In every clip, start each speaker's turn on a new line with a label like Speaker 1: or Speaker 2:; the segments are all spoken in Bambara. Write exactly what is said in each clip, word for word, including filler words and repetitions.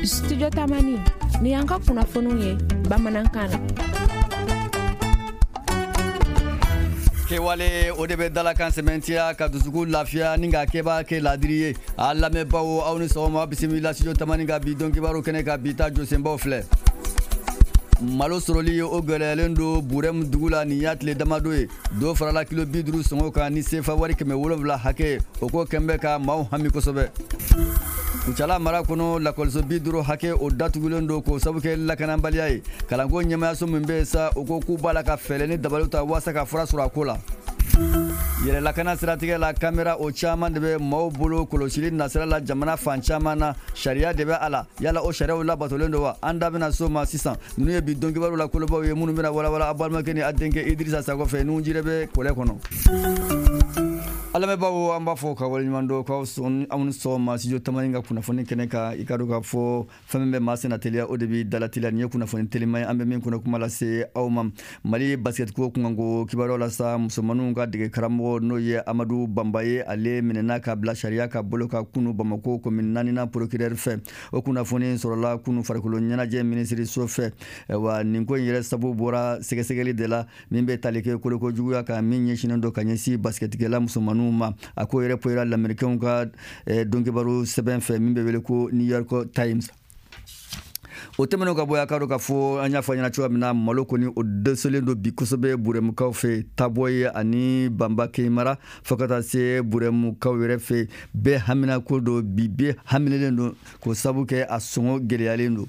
Speaker 1: Studio Tamani ni y'an ka kunnafoniw ye bamanankan na.
Speaker 2: Kɛwale o de bɛ dalakan sɛmɛntiya ka dusukun lafiya ni ka kɛba kɛ ladiri ye. A lamɛnbaaw, aw ni sɔgɔma, bisimila Studio Tamani ka bi don kibaru kɛnɛ ka bi ta jɔsenbaw filɛ. Malo sɔrɔli o gɛlɛyalen don Burɛmu dugu la nin y'a tile damadɔ ye. Dɔ farala kilo bi duuru sɔngɔ kan ni sefa wari kɛmɛ wolonwula hakɛ, o ko kɛn bɛ ka maaw hami kosɛbɛ. Kucala mara kɔnɔ, lakɔliso bi duuru hakɛ o datugulen don k'o sabu kɛ lakanabaliya ye. Kalanko ɲɛmayaso min bɛ yen sa, o ko k'u b'a la ka fɛɛrɛ ni dabaliw ta walasa ka fura sɔrɔ a ko la. Yɛrɛ lakana siratigɛ la, kamera o caman de bɛ maaw bolo kɔlɔsili nasira la jamana fan caman na. Sariya de bɛ a la, yala o sariyaw labatolen don wa? An da bɛna so ma sisan. Ninnu ye bi don kibaru la kolobaw ye minnu bɛna walawala a balimakɛ ni a denkɛ Idirisa Sakɔ fɛ n'u jire bɛ kɔlɛ kɔnɔ. A lamɛnbaaw, an b'a fɔ ka waleɲuman dɔn k'aw sɔn, aw ni sɔgɔma Studio Tamani ka kunnafoni kɛnɛ kan. I ka dɔn k'a fɔ fɛn min bɛ maa senna teliya, o de bɛ dala teliya. Nin ye kunnafoni teliman ye an bɛ min kɔnɔ kuma lase aw ma. Mali basket ko kunkanko kibaruyaw la sa, musomaninw ka dege karamɔgɔ n'o ye Amadu Banba ye, ale minɛna ka bila sariya ka bolo kan kunu Bamako commune naaninan procureur fɛ. O kunnafoni sɔrɔla kunu farikolo ɲɛnajɛ minisiriso fɛ. Wa nin ko in yɛrɛ sabu bɔra sɛgɛsɛgɛli de la min bɛ tali kɛ koloko juguya kan min ɲɛsinnen don ka ɲɛsin basketikɛla musomaninw ma. A ko yɛrɛ poyira lamɛrikɛnw ka donkibaru sɛbɛn fɛ min bɛ wele ko New York Times. O tɛmɛnen ka bɔ a ka dɔn k'a fɔ an y'a fɔ ɲɛna cogoya min na, malo kɔni o dɛsɛlen don bi kosɛbɛ Burɛmukaw fɛ, Tabɔye ani Banba Keyimara, fo ka taa se Burɛmukaw yɛrɛ fɛ. Bɛɛ hamina ko don bi, bɛɛ haminelen don k'o sabu kɛ a sɔngɔ gɛlɛyalen don.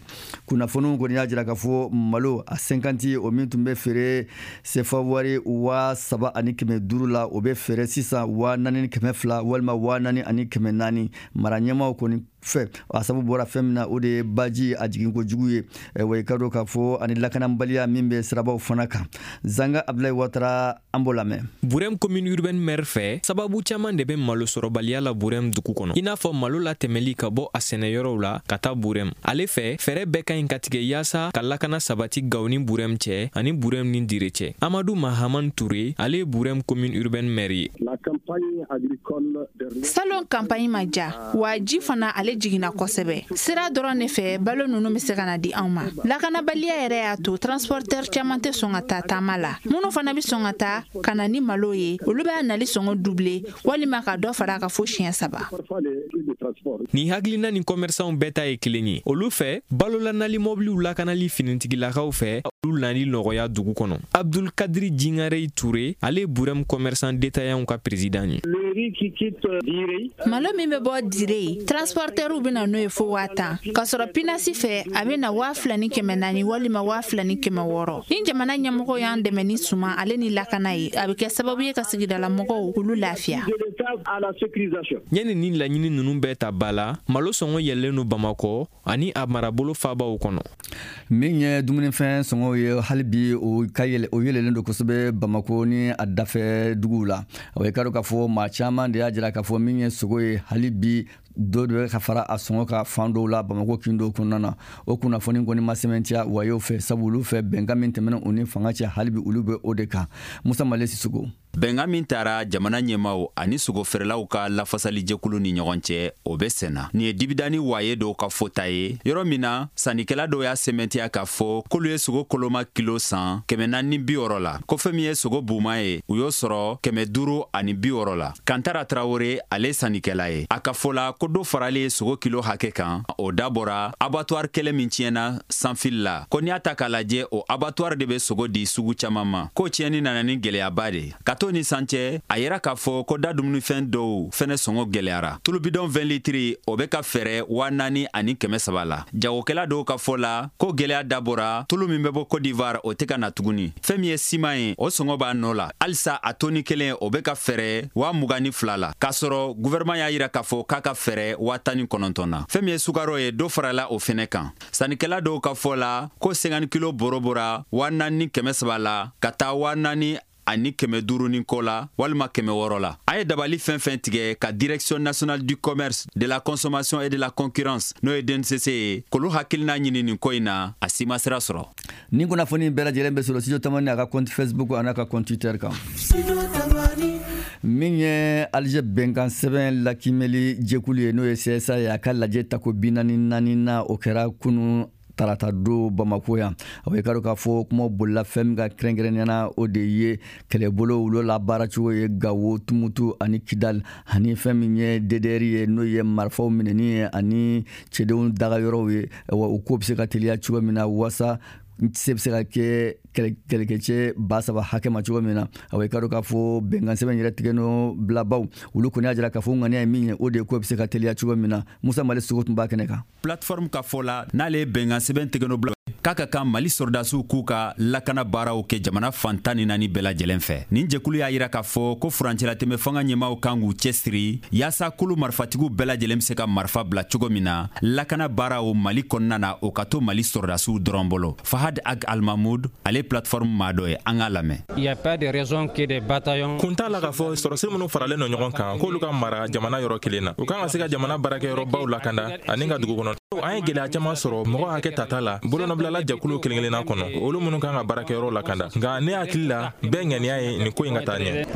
Speaker 2: Kunnafoniw kɔni y'a jira k'a fɔ malo a cinquante o min tun bɛ feere sefa wari waa saba ani kɛmɛ duuru la, o bɛ feere sisan waa naani ni kɛmɛ fila walima waa naani ani kɛmɛ naani. Mara ɲɛmaaw kɔni fɛ, a sababu bɔra fɛn min na, o de ye baji a jiginko jugu ye. Wa i ka dɔn k'a fɔ ani lakanabaliya min bɛ sirabaw fana kan. Zanga Abdoulaye Ouattara, an b'o lamɛn.
Speaker 3: Burɛm commune urbaine maire fɛ, sababu caman de bɛ malo sɔrɔbaliya la Burɛm dugu kɔnɔ, i n'a fɔ malo latɛmɛli ka bɔ a sɛnɛyɔrɔw la ka taa Burɛm. Ale fɛ, fɛɛrɛ bɛɛ ka ɲi ka tigɛ yaasa ka lakana sabati Gawo ni Burɛm cɛ ani Burɛm ni Dire cɛ. Amadu Mahaman Ture, ale ye Burɛm commune urbaine maire ye.
Speaker 4: Salon campagne ma ja wa, ji fana ale jiginna kosɛbɛ. Sira dɔrɔn de fɛ balo ninnu bɛ se ka na di anw ma. Lakanabaliya yɛrɛ y'a to transporteur caman tɛ sɔn ka taa taama la. Minnu fana bɛ sɔn ka taa ka na ni malo ye, olu b'a nali sɔngɔ doubler walima ka dɔ fara a kan fo siɲɛ saba.
Speaker 3: Nin hakilina ni commerçants bɛɛ ta ye kelen ye. Olu fɛ, balolanali mɔbiliw lakanali finitigilakaw fɛ, olu nali nɔgɔya dugu kɔnɔ. Abdul Kadri Jingarey Touré, ale ye Burɛm commerçant détaillant ka président ye.
Speaker 4: Malo min bɛ bɔ Dire, transporteurw bɛ na n'o ye fo waa tan, k'a sɔrɔ Pinasi fɛ a bɛ na waa fila ni kɛmɛ naani walima waa fila ni kɛmɛ wɔɔrɔ. Ni jamana ɲɛmɔgɔw y'an dɛmɛ ni suman ale ni lakana ye, a bɛ kɛ sababu ye ka sigidala mɔgɔw olu lafiya.
Speaker 3: Yanni ni laɲini ninnu bɛɛ ta ba la, malo sɔngɔ yɛlɛlen don Bamakɔ ani a marabolo fabaw kɔnɔ.
Speaker 2: Min ye dumunifɛn sɔngɔw ye, hali bi o ka yɛlɛ, o yɛlɛlen don kosɛbɛ Bamako ni a dafɛ duguw la. O ye ka dɔn k'a fɔ maa caman de y'a jira k'a fɔ min ye sogo ye, hali bi dɔ de bɛ ka fara a sɔngɔ ka fan dɔw la Bamako kin dɔw kɔnɔna na. O kunnafoni kɔni ma sɛmɛntiya wayew fɛ, sabu olu fɛ bɛnkan min tɛmɛna u ni fanga cɛ, hali bi olu bɛ o de kan. Musa Male Sisoko.
Speaker 5: Bɛnkan min taara jamana ɲɛmaw ani sogofeerelaw ka lafasalijɛkulu ni ɲɔgɔn cɛ, o bɛ senna. Nin ye dibidani waye dɔw ka fɔta ye, yɔrɔ min na sannikɛla dɔw y'a sɛmɛntiya k'a fɔ k'olu ye sogo koloma kilo san kɛmɛ naani bi wɔɔrɔ la, ko fɛn min ye sogo buman ye, u y'o sɔrɔ kɛmɛ duuru ani bi wɔɔrɔ la. Kantara Tarawele, ale sannikɛla ye, a ka fɔ la ko dɔ faralen sogo kilo hakɛ kan, o dabɔra abattoir kɛlɛ min tiɲɛna sanfili la, ko n'i y'a ta k'a lajɛ, o abattoir de bɛ sogo di sugu caman ma, ko tiɲɛni nana ni gɛlɛyaba de ka to ni san cɛ. A yera k'a fɔ ko da dumunifɛn dɔw fɛnɛ sɔngɔ gɛlɛyara. Tulu bidɔn vingt litiri, o bɛ ka fɛrɛ waa naani ani kɛmɛ saba la. Jagokɛla dɔw ka fɔ la ko gɛlɛya dabɔra tulu min bɛ bɔ Côte d'Ivoire, o tɛ ka na tuguni. Fɛn min ye siman ye, o sɔngɔ b'a nɔ la halisa, a toni kelen o bɛ ka fɛrɛ waa mugan ni fila la, k'a sɔrɔ gouvernement y'a yira k'a fɔ k'a ka fɛrɛ waa tan ni kɔnɔntɔn na. Fɛn min ye sukaro ye, dɔ farala o fɛnɛ kan. Sannikɛla dɔw ka fɔ la ko cinquante kilo bɔrɔ bɔra waa naani ni kɛmɛ saba la ka taa waa naani ani kɛmɛ duuru ni kɔ la walima kɛmɛ wɔɔrɔ la. A ye dabali fɛn fɛn tigɛ ka Direction nationale du commerce, de la consommation et de la concurrence, n'o ye D N C C ye, k'olu hakilina ɲini nin ko in na, a si ma sira sɔrɔ.
Speaker 2: Nin kunnafoni bɛɛ lajɛlen bɛ sɔrɔ Studio Tamani a ka compte Facebook ani a ka compte Twitter kan. Min ye Alger bɛnkan sɛbɛn lakimɛli jɛkulu ye, n'o ye C S A ye, a ka lajɛ tako bi naani naani na, o kɛra kunun tarata don Bamako yan. A bɛ k'a dɔn k'a fɔ kuma bolila fɛn min ka kɛrɛnkɛrɛnnenya na, o de ye kɛlɛbolo olu la baaracogo ye Gawo, Tumutu ani Kidal, ani fɛn min ye D D R ye, n'o ye marifaw minɛni ye ani cɛdenw dagayɔrɔw ye. Wa o ko bɛ se ka teliya cogo min na walasa se bɛ se ka kɛ kɛlɛkɛcɛ ba saba hakɛ ma cogo min na. A bɛ k'a dɔn k'a fɔ bɛnkan sɛbɛn yɛrɛ tigɛnɔ bilabaw olu kɔni y'a jira k'a fɔ ŋaniya ye min ye, o de ye ko bɛ se ka teliya cogo min na. Musa Mali Sogo tun b'a kɛnɛ kan.
Speaker 5: Plateforme ka fɔ la, n'ale ye bɛnkan sɛbɛn tigɛnɔ bila k'a ka kan Mali sɔrɔdasiw k'u ka lakana baaraw kɛ jamana fan tan ni naani bɛɛ lajɛlen fɛ. Nin jɛkulu y'a yira k'a fɔ ko furancɛlatɛmɛ fanga ɲɛmaaw kan k'u cɛsiri yaasa kulu marifatigiw bɛɛ lajɛlen bɛ se ka marifa bila cogo min na lakana baaraw Mali kɔnɔna na, o ka to Mali sɔrɔdasiw dɔrɔn bolo. Fahad Ag Almahmoud, ale plateforme maa dɔ ye, an k'a lamɛn.
Speaker 6: Kun t'a la k'a fɔ sɔrɔsi minnu faralen don ɲɔgɔn kan k'olu ka mara jamana yɔrɔ kelen na, u kan ka se ka jamana baarakɛyɔrɔbaw lakanda ani ka dugu kɔnɔ. An ye gɛlɛya caman sɔrɔ mɔgɔ hakɛ tata la bolonɔbilala jɛkulu kelen kelenna kɔnɔ, olu minnu kan ka baarakɛyɔrɔ lakanda. Nka ne hakili la, bɛɛ ŋaniya ye nin ko in ka taa ɲɛ.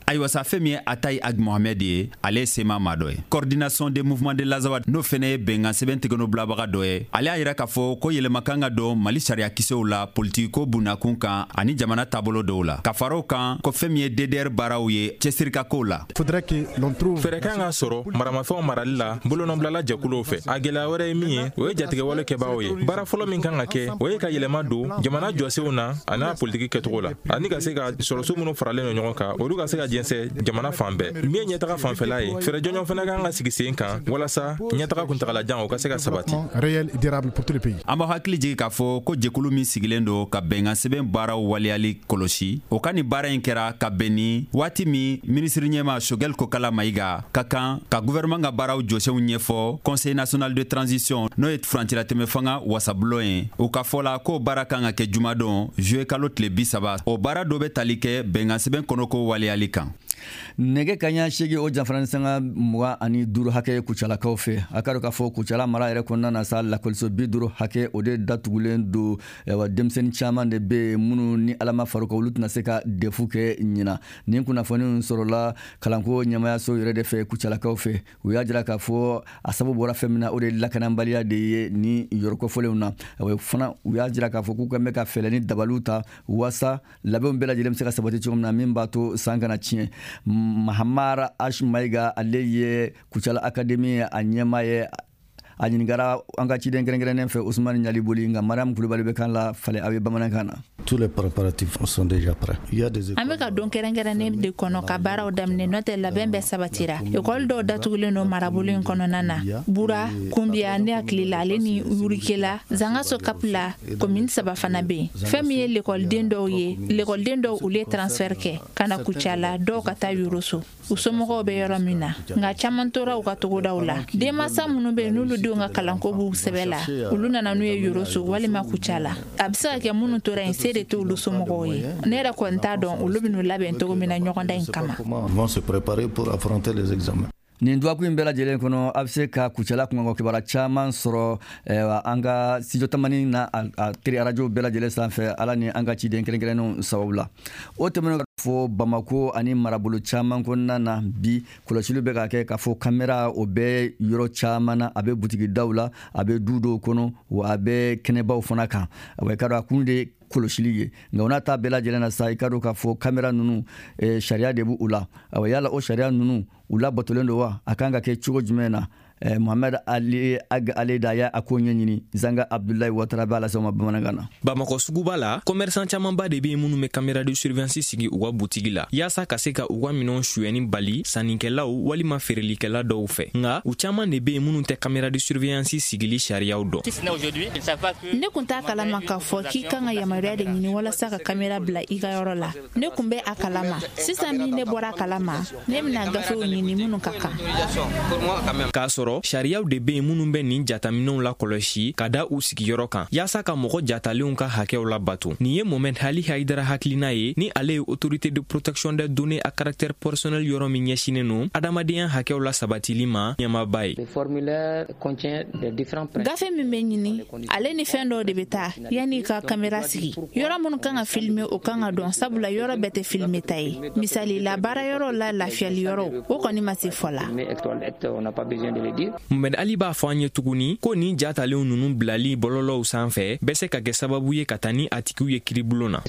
Speaker 5: Ayiwa sa, fɛn min ye Atayi Ag Mohamed ye, ale ye SEMA maa dɔ ye, coordination des mouvements de l'Azawad, n'o fɛnɛ ye bɛnkan sɛbɛn tigɛnɔ bilabaga dɔ ye. Ale y'a yira k'a fɔ ko yɛlɛma kan ka don Mali sariya kisɛw la politikiko bundakun kan ani jamana taabolo dɔw la, ka fara o kan ko fɛn min ye D D R baaraw ye cɛsiri ka kow la.
Speaker 6: Fɛɛrɛ kan ka sɔrɔ maramafɛnw marali la bolonɔbilala jɛkuluw fɛ. A gɛlɛya wɛrɛ ye min ye, o ye jatigɛwale kɛbaaw ye. Baara fɔlɔ min kan ka kɛ, o ye ka yɛlɛma don jamana jɔsenw na a n'a politiki kɛcogo la, ani ka se ka sɔrɔsiw minnu faralen don ɲɔgɔn kan, olu ka se ka jɛnsɛn jamana fan bɛɛ. Min ye ɲɛtaga fanfɛla ye, fɛɛrɛ jɔnjɔn fana kan ka sigi sen kan walasa ɲɛtaga kuntagalajan o ka se ka sabati.
Speaker 5: An b'aw hakili jigin k'a fɔ ko jɛkulu min sigilen don ka bɛnkan sɛbɛn baaraw waleyali kɔlɔsi, o ka nin baara in kɛra ka bɛn ni waati min minisiri ɲɛma Choguel Kokalla Maïga ka kan ka gouvernement ka baaraw jɔsenw ɲɛfɔ Conseil national de transition, n'o ye furancɛlatɛmɛ fanga wasabulon ye. U ka fɔ la k'o baara kan ka kɛ jumadon juillet kalo tile bi saba. O baara dɔ bɛ tali kɛ bɛnkan sɛbɛn kɔnɔko waleyali kan.
Speaker 2: Nɛgɛ kaɲa seegin o janfara ni sanga mugan ani duuru hakɛ Kucalakaw fɛ. A k'a dɔn k'a fɔ Kucala mara yɛrɛ kɔnɔna na sa, lakɔliso bi duuru hakɛ o de datugulen don. Denmisɛnnin caman de bɛ yen minnu ni Ala ma far'u kan, olu tɛna se ka defu kɛ ɲina. Nin kunnafoni sɔrɔla kalanko ɲɛmayaso yɛrɛ de fɛ Kucalakaw fɛ. U y'a jira k'a fɔ a sababu bɔra fɛn min na, o de ye lakanabaliya de ye ni yɔrɔ kofɔlenw na. Fana u y'a jira k'a fɔ k'u kɛn bɛ ka fɛɛrɛ ni dabaliw ta walasa labɛnw bɛɛ lajɛlen bɛ se ka sabati cogo min na, min b'a to san kana tiɲɛ. Mahamara Ash Maïga, ale ye Kucala Académie a ɲɛmaa ye, a ɲininkara an ka ciden kɛrɛnkɛrɛnnen fɛ Ousmane Ɲaliboli, nka Mariam Kulubali bɛ kan la falen aw ye bamanankan na.
Speaker 7: Tous les préparatifs sont déjà prêts. Il y a des
Speaker 4: An bɛ ka don kɛrɛnkɛrɛnnen de kɔnɔ ka baaraw daminɛ, n'o tɛ labɛn bɛɛ sabatira. Ekɔli dɔw datugulen don marabolo in kɔnɔna na, Bura, Kunbiya, ne hakili la ale ni Yurikela, Zangaso Kapila, commune saba fana bɛ yen. Fɛn min ye lekɔliden dɔw ye, lekɔliden dɔw olu ye transfert kɛ ka na Kucala, dɔw ka taa Yoroso, u somɔgɔw bɛ yɔrɔ min na, nka caman tora u ka togodaw la. Denmansa minnu bɛ yen n'olu denw ka kalanko b'u sɛbɛ la, olu nana n'u ye Yoroso walima Kucala. A bɛ se ka kɛ minnu tora yen, se de t'olu somɔgɔw ye. Ne yɛrɛ kɔni t'a dɔn olu bɛ n'u labɛn cogo min na ɲɔgɔndan in kama.
Speaker 2: Nin dɔgɔkun in bɛɛ lajɛlen kɔnɔ, a bɛ se ka Kucala kunkanko kibaruya caman sɔrɔ an ka studio tamani na a teri arajo bɛɛ lajɛlen sanfɛ, Ala ni an ka ciden kɛrɛnkɛrɛnnenw sababu la. O tɛmɛnen fɔ Bamako ani marabolo caman kɔnɔna na, bi kɔlɔsiliw bɛ ka kɛ k'a fɔ kamera o bɛ yɔrɔ caman na, a bɛ butigi daw la, a bɛ du dɔw kɔnɔ, wa a bɛ kɛnɛbaw fana kan. A bɛ ka kun de kɔlɔsili ye, nka o n'a ta bɛɛ lajɛlen na sa, i ka dɔn k'a fɔ kamera ninnu sariya de b'u la. Awa yala o sariya ninnu u labatolen don wa? A kan ka kɛ cogo jumɛn na? Mohamed Ali Ag Aleda y'a ko ɲɛɲini. Zanga Abdoulaye Ouattara b'a lase ma bamanankan na.
Speaker 3: Bamakɔ suguba la, commerçant camanba de bɛ yen minnu bɛ caméra de surveillance sigi u ka butigi la yaasa ka se ka u ka minɛnw suyɛnni bali sannikɛlaw walima feerelikɛla dɔw fɛ. Nka u caman de bɛ yen minnu tɛ caméra de surveillance sigili sariyaw dɔn.
Speaker 4: Ne kun t'a kalama k'a fɔ k'i kan ka yamaruya de ɲini walasa ka caméra bila i ka yɔrɔ la. Ne kun bɛ a kalama. Sisan min ne bɔra a kalama, ne bɛna gafew ɲini minnu ka kan.
Speaker 3: K'a sɔrɔ sɔrɔ sariyaw de bɛ yen minnu bɛ nin jataminɛw lakɔlɔsi ka da u sigiyɔrɔ kan yaasa ka mɔgɔ jatalenw ka hakɛw labato. Nin ye Mohamed Ali Haidara hakilina ye, ni ale ye autorité de protection des données à caractère personnel yɔrɔ min ɲɛsinnen don adamadenya hakɛw la sabatili ma ɲɛmaaba ye.
Speaker 4: Gafe min bɛ ɲini, ale ni fɛn dɔw de bɛ taa yanni ka kamera sigi. Yɔrɔ minnu kan ka filmer, o kan ka dɔn, sabula yɔrɔ bɛɛ tɛ filmer ta ye. Misali la, baara yɔrɔ la, lafiyali yɔrɔ, o kɔni ma se fɔ la.
Speaker 3: Mohamed Ali b'a fɔ an ye tuguni ko nin jatalenw ninnu bilali bɔlɔlɔw sanfɛ bɛ se ka kɛ sababu ye ka taa ni a tigiw ye kiiribulon na.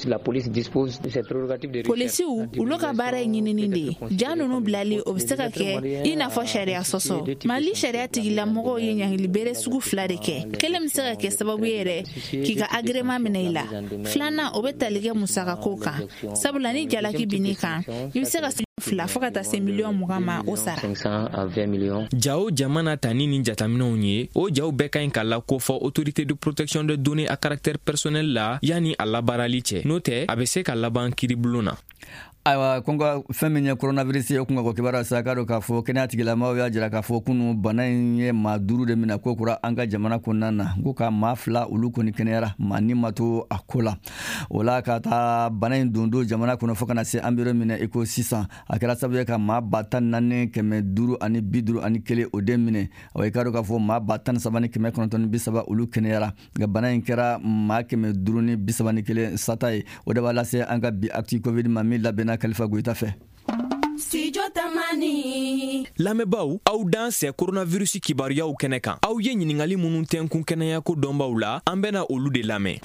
Speaker 4: Polisiw, olu ka baara ye ɲinini de ye. Ja ninnu bilali, o bɛ se ka kɛ i n'a fɔ sariya sɔsɔ. Mali sariya tigilamɔgɔw ye ɲangili bere sugu fila de kɛ. Kelen bɛ se ka kɛ sababu ye yɛrɛ k'i ka agrément minɛ i la. Filanan, o bɛ tali kɛ musakako kan, sabula ni jalaki binn'i kan, i bɛ se ka fila fo ka taa se miliyɔn mugan ma o sara.
Speaker 3: Ja o jamana ta ni nin jataminɛw ye, o jaw bɛɛ ka ɲi ka lakofɔ autorité de protection des données à caractère personnel la yanni a labaarali cɛ, n'o tɛ a bɛ se ka laban kiiribulon na.
Speaker 2: Ayiwa, ko nka fɛn min ye coronavirus ye, o kun ka ko kibaruya sa k'a dɔn k'a fɔ kɛnɛya tigilamaaw y'a jira k'a fɔ kunu bana in ye maa duuru de minɛ ko kura an ka jamana kɔnɔna na, ko ka maa fila olu kɔni kɛnɛyara, maa ni ma to a ko la. O la ka taa bana in don don jamana kɔnɔ fo ka na se an bɛ yɔrɔ min na i ko sisan, a kɛra sababu ye ka maa ba tan naani kɛmɛ duuru ani bi duuru ani kelen o de minɛ. Awa, i k'a dɔn k'a fɔ maa ba tan ni saba ni kɛmɛ kɔnɔntɔn ni bi saba olu kɛnɛyara, nka bana in kɛra maa kɛmɛ duuru ni bi saba ni kelen sata ye. O de b'a lase an ka bi actu covid ma min labɛnna Khalifa Goyita fɛ.
Speaker 3: Lamɛnbaaw, aw dan sɛ coronavirus kibaruyaw kɛnɛ kan. Aw ye ɲininkali minnu tɛnkun kɛnɛyako dɔnbaw la, an bɛna olu de lamɛn.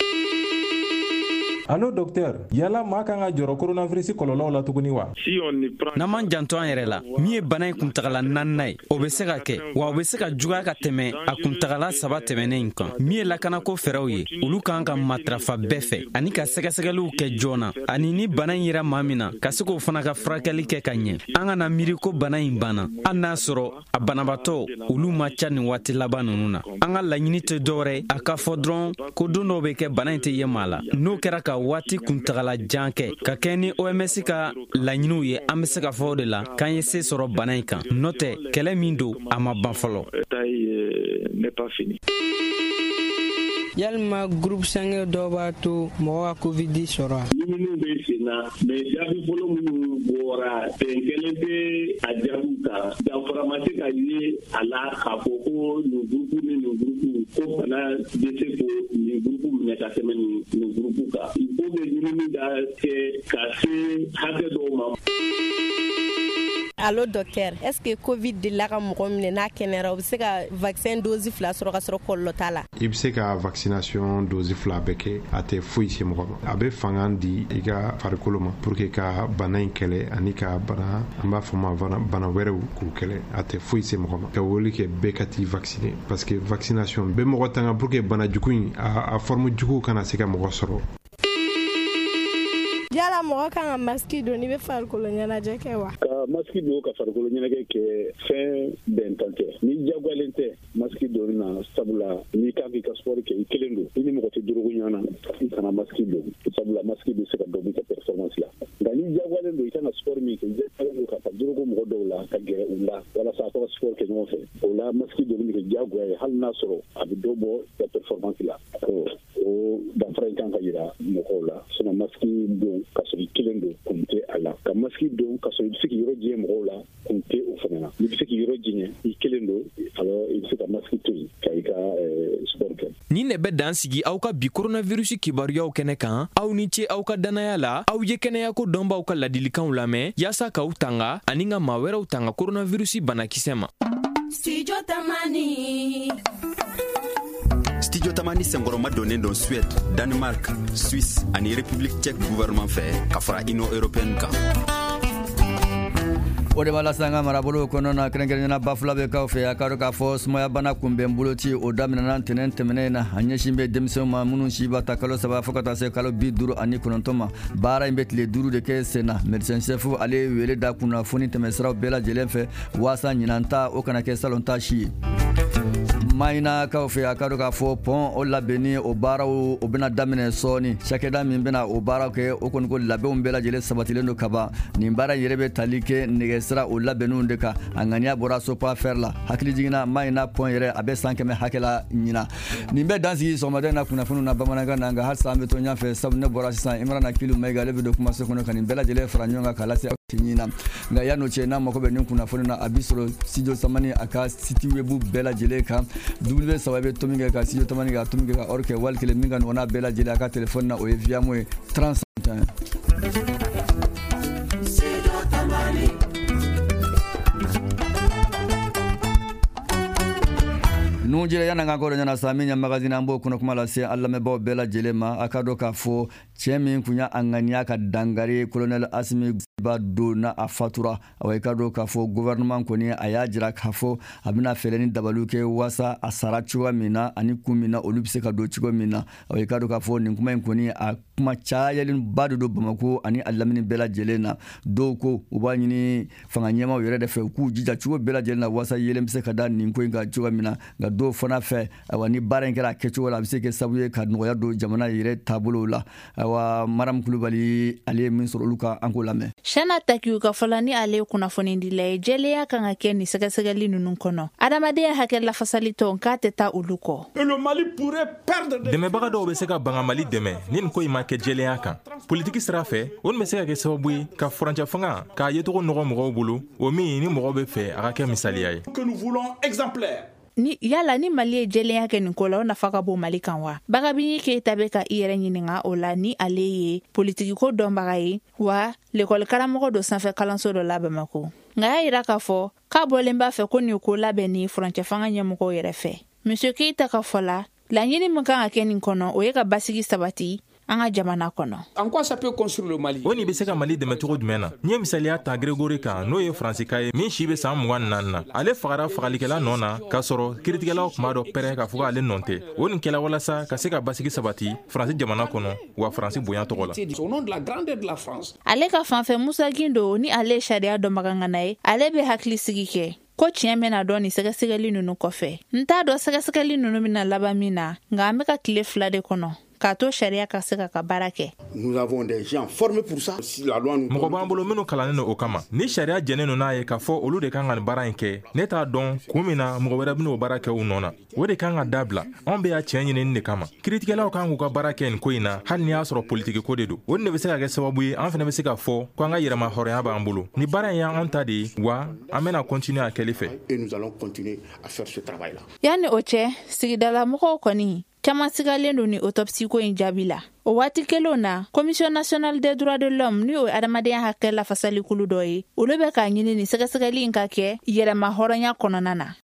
Speaker 6: Allo docteur, yala maa kan ka jɔrɔ coronavirus kɔlɔlɔw la tuguni wa?
Speaker 8: N'an m'an janto an yɛrɛ la, min ye bana in kuntagala naaninan ye, o bɛ se ka kɛ, wa o bɛ se ka juguya ka tɛmɛ a kuntagala saba tɛmɛnen in kan. Min ye lakanako fɛɛrɛw ye, olu kan ka matarafa bɛɛ fɛ ani ka sɛgɛsɛgɛliw kɛ joona, ani ni bana in yera maa min na, ka se k'o fana ka furakɛli kɛ ka ɲɛ. An kana miiri ko bana in banna, hali n'a sɔrɔ a banabaatɔ olu ma ca nin waati laban ninnu na. An ka laɲini tɛ dɔwɛrɛ ye, a ka fɔ dɔrɔn ko don dɔw bɛ kɛ bana in tɛ ye maa la. N'o kɛra ka waati kuntagala jan kɛ ka kɛ ni O M S ka laɲiniw ye, an bɛ se ka fɔ o de la k'an ye se sɔrɔ bana in kan. N'o tɛ, kɛlɛ min don, a ma ban fɔlɔ.
Speaker 9: Yalima groupe sanguin dɔw b'a to mɔgɔ ka covid sɔrɔ wa?
Speaker 10: Ɲininiw bɛ sen na, mais jaabi fɔlɔ minnu bɔra, bɛn kelen bɛ a jaabiw kan. Danfara ma se ka ye a la k'a fɔ ko nin groupe ni nin groupe ko bana bɛ se ko nin groupe minɛ ka tɛmɛ nin nin groupe kan. Il faut que ɲinini ka kɛ ka se hakɛ dɔw ma.
Speaker 11: Allo docteur, est-ce que Covid delila ka mɔgɔ minɛ n'a kɛnɛyara, o bɛ se ka vaccin dose fila sɔrɔ ka sɔrɔ kɔlɔlɔ t'a la?
Speaker 12: I bɛ se ka vaccination dose fila bɛɛ kɛ, a tɛ foyi se mɔgɔ ma. A bɛ fanga di i ka farikolo ma pour que ka bana in kɛlɛ ani ka bana, an b'a fɔ ma bana wɛrɛw k'u kɛlɛ. A tɛ foyi se mɔgɔ ma. Ka wele kɛ bɛɛ ka t'i vacciner, parce que vaccination bɛ mɔgɔ tanga pour que bana jugu in a, a forme jugu kana se ka mɔgɔ sɔrɔ.
Speaker 13: Yala mɔgɔ kan ka masque don n'i bɛ farikolo ɲɛnajɛ kɛ wa?
Speaker 10: Ka masque don ka farikolo ɲɛnajɛ kɛ, fɛn bɛntan tɛ. N'i diyagoyalen tɛ masque donni na, sabula n'i kan k'i ka sport kɛ i kelen don, i ni mɔgɔ tɛ dorogo ɲɔgɔn na, i kana masque don, sabula masque bɛ se ka dɔ b'i ka performance la. Nka n'i diyagoyalen don i kan ka sport min kɛ, i diyagoyalen don ka taa dorogo mɔgɔ dɔw la, ka gɛrɛ u la walasa a ka sport kɛ ɲɔgɔn fɛ. O la masque donni bɛ kɛ diyagoya ye, hali n'a sɔrɔ a bɛ dɔ bɔ i ka performance la. O danfara in kan ka yira mɔgɔw la. Sinon masque don ka sɔrɔ i kelen don, kun tɛ a la. Ka masque don ka sɔrɔ i bɛ se k'i yɔrɔ jɛ mɔgɔw la, kun tɛ o fana na. N'i bɛ se k'i yɔrɔ jɛ i kelen don, alors i bɛ se ka masque to yen ka i ka sport kɛ.
Speaker 3: Nin de bɛ dan sigi aw ka bi coronavirus kibaruyaw kɛnɛ kan. Aw ni ce aw ka dannaya la. Aw ye kɛnɛyako dɔnbaw ka ladilikanw lamɛn yaasa k'aw tanga ani ka maa wɛrɛw tanga coronavirus banakisɛ ma.
Speaker 14: Studio Tamani.
Speaker 5: Studio Tamani senkɔrɔma donnen don Suède, Danemark, Suisse ani République tchèque gouvernement fɛ ka fara Union européenne kan.
Speaker 2: O de b'a lase an ka marabolo kɔnɔna na, kɛrɛnkɛrɛnnenya Bafulabɛkaw fɛ. A ka dɔn k'a fɔ sumaya bana kunbɛn boloci o daminɛna ntɛnɛn tɛmɛnen na. A ɲɛsin bɛ denmisɛnw ma minnu si b'a ta kalo saba fo ka taa se kalo bi duuru ani kɔnɔntɔn ma. Baara in bɛ tile duuru de kɛ sen na. Médecin chef ale ye wele da kunnafoni tɛmɛsiraw bɛɛ lajɛlen fɛ waasa ɲinan ta o kana kɛ salon ta si ye. Mayinakaw fɛ, a ka dɔn k'a fɔ pɔn o labɛnni o baaraw o bɛna daminɛ sɔɔni. Cakɛda min bɛna o baaraw kɛ, o kɔni ko labɛnw bɛɛ lajɛlen sabatilen don kaban. Nin baara yɛrɛ bɛ tali kɛ nɛgɛsira o labɛnniw de kan. A ŋaniya bɔra Sopafer la. Hakili jiginna Mayina pɔn yɛrɛ, a bɛ san kɛmɛ hakɛ la ɲina. Nin bɛ dan sigi sɔgɔmada in na kunnafoniw na bamanankan na, nka halisa an bɛ to ɲɛfɛ, sabu ne bɔra sisan Imrana Kilu Mayiga, ale bɛ don kumaso kɔnɔ ka nin bɛɛ lajɛlen fara ɲɔgɔn kan k'a lase ɲina. Nka yan'o cɛ, n'a mako bɛ nin kunnafoni na, a b'i sɔrɔ Studio Tamani a ka site web bɛɛ lajɛlen kan, W saba bɛ tomi kɛ ka Studio Tamani ka tomi kɛ ka or kɛ wali kelen min ka nɔgɔn n'a bɛɛ lajɛlen a ka telefɔni na, o ye Viamo ye trente. Nun jira yan'an ka kɔrɔ ɲɛna sa, min ye magazine, an b'o kɔnɔ kuma lase an lamɛnbaaw bɛɛ lajɛlen ma. A ka dɔn k'a fɔ cɛ min kun y'a ŋaniya ka dangari colonel Asimi ba don na a fatura, awa i ka dɔn k'a fɔ gouvernement kɔni a y'a jira k'a fɔ a bɛna fɛɛrɛ ni dabaliw kɛ waasa a sara cogoya min na ani kun min na olu bɛ se ka don cogo min na. Awa i ka dɔn k'a fɔ nin kuma in kɔni a kuma cayalenba de don Bamako ani a lamini bɛɛ lajɛlen na. Dɔw ko u b'a ɲini fanga ɲɛmaaw yɛrɛ de fɛ u k'u jija cogo bɛɛ lajɛlen na waasa yelen bɛ se ka da nin ko in kan cogoya min na. Nka dɔw fana fɛ, awa ni baara in kɛra a kɛcogo la, a bɛ se kɛ sababu ye ka nɔgɔya don jamana yɛrɛ taabolow la. Awa Mariam Kulubali ale ye min sɔrɔ olu kan, an k'o lamɛn.
Speaker 4: Shana Takiyu ka fɔla ni ale ye kunnafonidila ye, jɛlenya kan ka kɛ nin sɛgɛsɛgɛli ninnu kɔnɔ. Adamadenya hakɛ lafasali tɔn k'a tɛ taa olu kɔ.
Speaker 6: Dɛmɛbaga dɔw bɛ se ka ban ka Mali dɛmɛ ni nin ko in ma kɛ jɛlenya kan. Politiki sira fɛ, o nin bɛ se ka kɛ sababu ye ka furancɛ fanga k'a yecogo nɔgɔ mɔgɔw bolo, o min ni mɔgɔw bɛ fɛ a ka kɛ misaliya ye.
Speaker 4: Ni yala ni Mali ye jɛlenya kɛ nin ko la, o nafa ka bon Mali kan wa? Bagabini Keyita bɛ ka i yɛrɛ ɲininka o la, ni ale ye politikiko dɔnbaga ye, wa lekɔli karamɔgɔ don sanfɛ kalanso dɔ la Bamako. Nka y'a yira k'a fɔ k'a bɔlen b'a fɛ ko nin ko labɛn ni furancɛ fanga ɲɛmɔgɔw yɛrɛ fɛ. Monsieur Keyita ka fɔ la, laɲini min kan ka kɛ nin kɔnɔ, o ye ka basigi sabati an ka jamana kɔnɔ.
Speaker 15: En quoi ça peut construire le Mali?
Speaker 6: O nin bɛ se ka Mali dɛmɛ cogo jumɛn na? N ye misaliya ta Grégory kan, n'o ye Faransikan ye min si bɛ san mugan ni naani na. Ale fagara fagalikɛla nɔ na k'a sɔrɔ kiiritigɛlaw tun b'a dɔn pɛrɛ k'a fɔ k'ale nɔ tɛ. O nin kɛla walasa ka se ka basigi sabati Faransi jamana kɔnɔ, wa Faransi bonya tɔgɔ la.
Speaker 15: Au nom de la grandeur de la France.
Speaker 4: Ale ka fanfɛ, Musa Gindo ni ale ye sariya dɔnbaga ŋana ye, ale bɛ hakili sigi kɛ ko tiɲɛ bɛna dɔn nin sɛgɛsɛgɛli ninnu kɔfɛ. N t'a dɔn sɛgɛsɛgɛli ninnu bɛna laban min na, nka an bɛ ka tile fila de kɔnɔ k'a to sariya ka se ka ka baara kɛ.
Speaker 6: Mɔgɔ b'an bolo minnu kalannen don o kama. Ni sariya jɛnnen don n'a ye k'a fɔ olu de kan ka nin baara in kɛ, ne t'a dɔn kun min na mɔgɔ wɛrɛ bɛn'o baara kɛ u nɔ na. O de kan ka dabila. Anw bɛ y'a tiɲɛ ɲinini de kama. Kiiritigɛlaw kan k'u ka baara kɛ nin ko in na, hali n'i y'a sɔrɔ politiki ko de don. O de bɛ se ka kɛ sababu ye an fana bɛ se k'a fɔ ko an ka yɛrɛma hɔrɔnya b'an bolo. Ni baara in y'anw ta de ye, wa an bɛna continuer a kɛli fɛ.
Speaker 4: Yanni o cɛ, sigidala mɔgɔw kɔni caman sigalen don ni autopsie ko in jaabi la. O waati kelenw na, Commission nationale des droits de l'homme ni o ye adamadenya hakɛ lafasalikulu dɔ ye, olu bɛ k'a ɲini nin sɛgɛsɛgɛli in ka kɛ yɛrɛma hɔrɔnya kɔnɔna na.